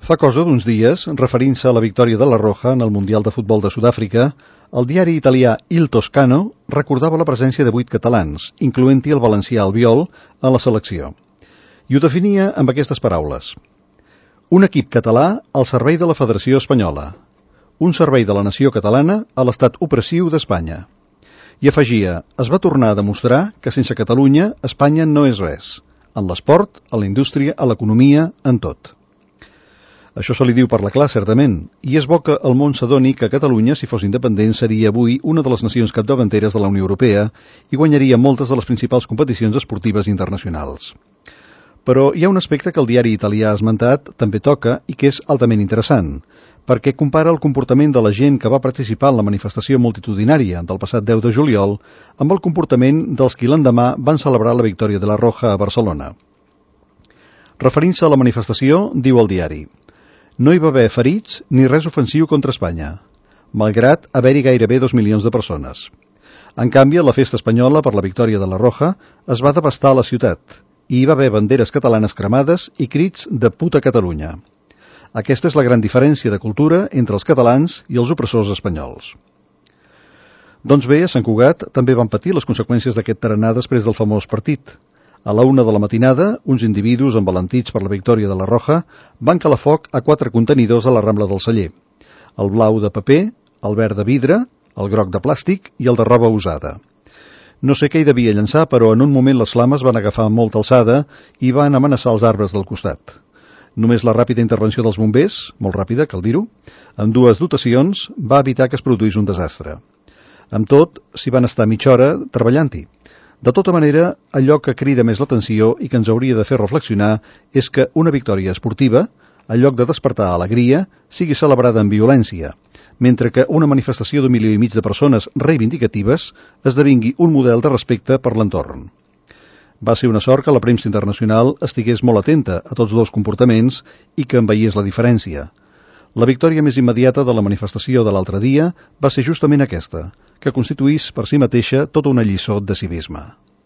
Fa cosa d'uns dies, referint-se a la victòria de la Roja en el Mundial de Futbol de Sud-àfrica, el diari italià Il Toscano recordava la presència de 8 catalans, incloent-hi el valencià Albiol, a la selecció. I ho definia amb aquestes paraules. Un equip català al servei de la Federació Espanyola. Un servei de la nació catalana a l'estat opressiu d'Espanya. I afegia, es va tornar a demostrar que sense Catalunya, Espanya no és res. En l'esport, a la indústria, a l'economia, en tot. Això se li diu parlar clar, certament, i és bo que el món s'adoni que Catalunya, si fos independent, seria avui una de les nacions capdavanteres de la Unió Europea i guanyaria moltes de les principals competicions esportives internacionals. Però hi ha un aspecte que el diari italià ha esmentat també toca i que és altament interessant, perquè compara el comportament de la gent que va participar en la manifestació multitudinària del passat 10 de juliol amb el comportament dels qui l'endemà van celebrar la victòria de la Roja a Barcelona. Referint-se a la manifestació, diu el diari: no hi va haver ferits ni res ofensiu contra Espanya, malgrat haver-hi gairebé 2 milions de persones. En canvi, a la festa espanyola per la victòria de la Roja es va devastar la ciutat i hi va haver banderes catalanes cremades i crits de puta Catalunya. Aquesta és la gran diferència de cultura entre els catalans i els opressors espanyols. Doncs bé, a Sant Cugat també van patir les conseqüències d'aquest tarannà després del famós partit. A la 1 de la matinada, uns individus envalentits per la victòria de la Roja van calar foc a 4 contenidors a la Rambla del Celler. El blau de paper, el verd de vidre, el groc de plàstic i el de roba usada. No sé què hi devia llançar, però en un moment les flames van agafar molta alçada i van amenaçar els arbres del costat. Només la ràpida intervenció dels bombers, molt ràpida, cal dir-ho, amb 2 dotacions, va evitar que es produís un desastre. Amb tot, s'hi van estar mitja hora treballant-hi. De tota manera, allò que crida més l'atenció i que ens hauria de fer reflexionar és que una victòria esportiva, en lloc de despertar alegria, sigui celebrada amb violència, mentre que una manifestació d'1,5 milió de persones reivindicatives esdevingui un model de respecte per l'entorn. Va ser una sort que la premsa internacional estigués molt atenta a tots 2 comportaments i que en veiés la diferència. La victòria més immediata de la manifestació de l'altre dia va ser justament aquesta, que constituís per si mateixa tota una lliçó de civisme.